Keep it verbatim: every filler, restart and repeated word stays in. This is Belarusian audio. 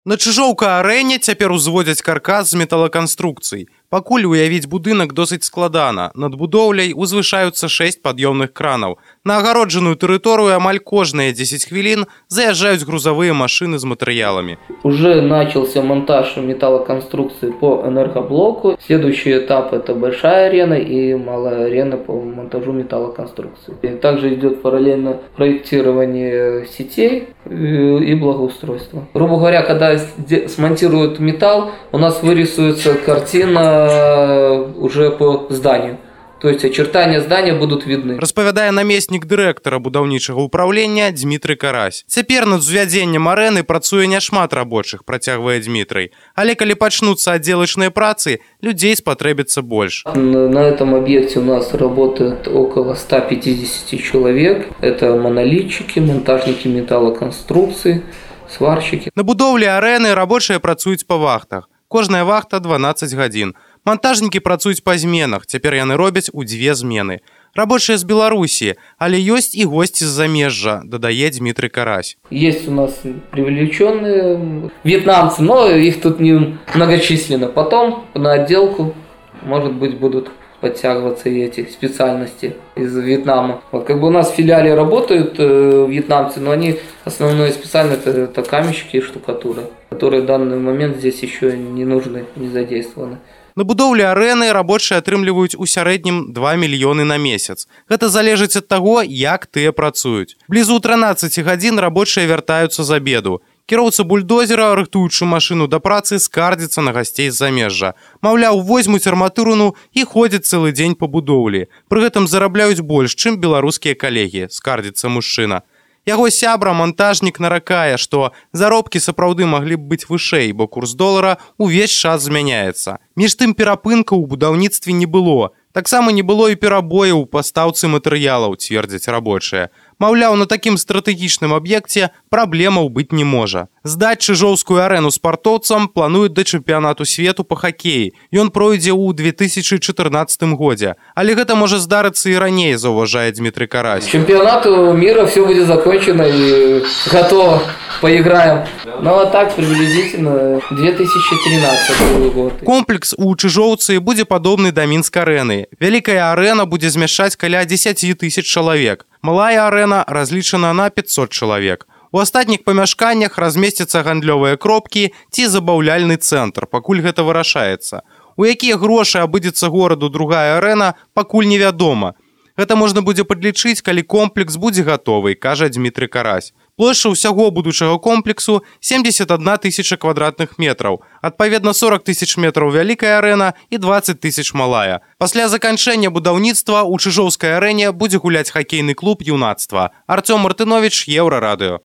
На Чыжоўка-арэне цяпер узводзяць каркас з металаканструкцый. Пакуль уявіць будынак досыць складана. Над будоўляй узвышаюцца шэсць пад'ёмных кранаў. На агароджаную тэрыторыю амаль кожныя дзесяць хвілін заязджаюць грузовые машины с материалами. Уже начался монтаж металлоконструкции по энергоблоку. Следующий этап — это большая арена и малая арена по монтажу металлоконструкции. И также идет параллельно проектирование сетей и благоустройство. Грубо говоря, когда смонтируют металл, у нас вырисуется картина уже по зданию. То есть очертания здания будут видны. Распавядае намеснік дырэктара будаўнічага ўпраўлення Дмітрый Карась. Цяпер над узвядзеннем арэны працуе няшмат рабочых, працягвае Дмітрый. Але калі пачнуцца аддзелачныя працы, людзей спатрэбіцца больш. На этом объекте у нас работает около ста пятидесяти человек. Это монолитчики, монтажники металлоконструкций, сварщики. На будоўлі арэны рабочыя працуюць па вахтах. Кожная вахта дванаццаць гадзін. Монтажнікі працуюць па зменах, цяпер яны робяць у дзве змены. Рабочыя з Беларусі, але ёсць і госці з замежжа, дадае Дмітрый Карась. Есть у нас привлеченные вьетнамцы, но их тут не многочисленно. Потом на отделку, может быть, будут подтягиваться и эти специальности из Вьетнама. Вот как бы у нас в филиале работают э, вьетнамцы, но они основные специальности это, это каменщики и штукатура, которые в данный момент здесь еще не нужны, не задействованы. На будоўлі арэны рабочыя атрымліваюць у сярэднім два мільёны на месяц. Гэта залежыць ад таго, як тыя працуюць. Блізу трынаццаці гадзін рабочыя вяртаюцца з абеду. Кіроўца бульдозера, рыхтуючы машыну да працы, скардзіцца на гасцей з замежжа. Маўляў, возьмуць арматурыну і ходзяць цэлы дзень па будоўлі. Пры гэтым зарабляюць больш, чым беларускія калегі, скардзіцца мужчына. Яго сябра, монтажнік, наракае, што заробкі сапраўды маглі б быць вышэй, бо курс долара ўвесь час змяняецца. Між тым перапынкаў у будаўніцтве не было. Таксама не было і перабояў у пастаўцы матэрыялаў, цвердзяць рабочыя. Маўляў, на такім стратэгічным аб'екце праблемаў быць не можа. Здаць Чыжоўскую арэну спартоўцам плануюць да чэмпіянату свету па хакеі. Ён пройдзе ў две тысячи чатырнаццатым годзе. Але гэта можа здарыцца і раней, заўважае Дмітрый Карась. Чемпионату мира все будет закончено и готово. Поиграем. Ну а так приблизительно две тысячи тринадцатый год. Комплекс у Чыжоўцы будзе падобны да Мінск-арэны. Вялікая арэна будзе змяшчаць каля дзесяці тысяч чалавек. Малая арэна разлічана на пятьсот чалавек. У астатніх памяшканнях размесцяцца гандлёвыя кропкі ці забаўляльны цэнтр, пакуль гэта вырашаецца. У якія грошы абыдзецца гораду другая арэна, пакуль невядома. Гэта можна будзе падлічыць, калі комплекс будзе гатовы, кажа Дмітрый Карась. Плошча ўсяго будучага комплексу семьдесят одна тысяча квадратных метраў. Адпаведна сорок тысяч метраў вялікая арэна і двадцать тысяч малая. Пасля заканчэння будаўніцтва ў Чыжоўскай арэне будзе гуляць хакейны клуб юнацтва. Артём Мартынович, Еўрарадыё.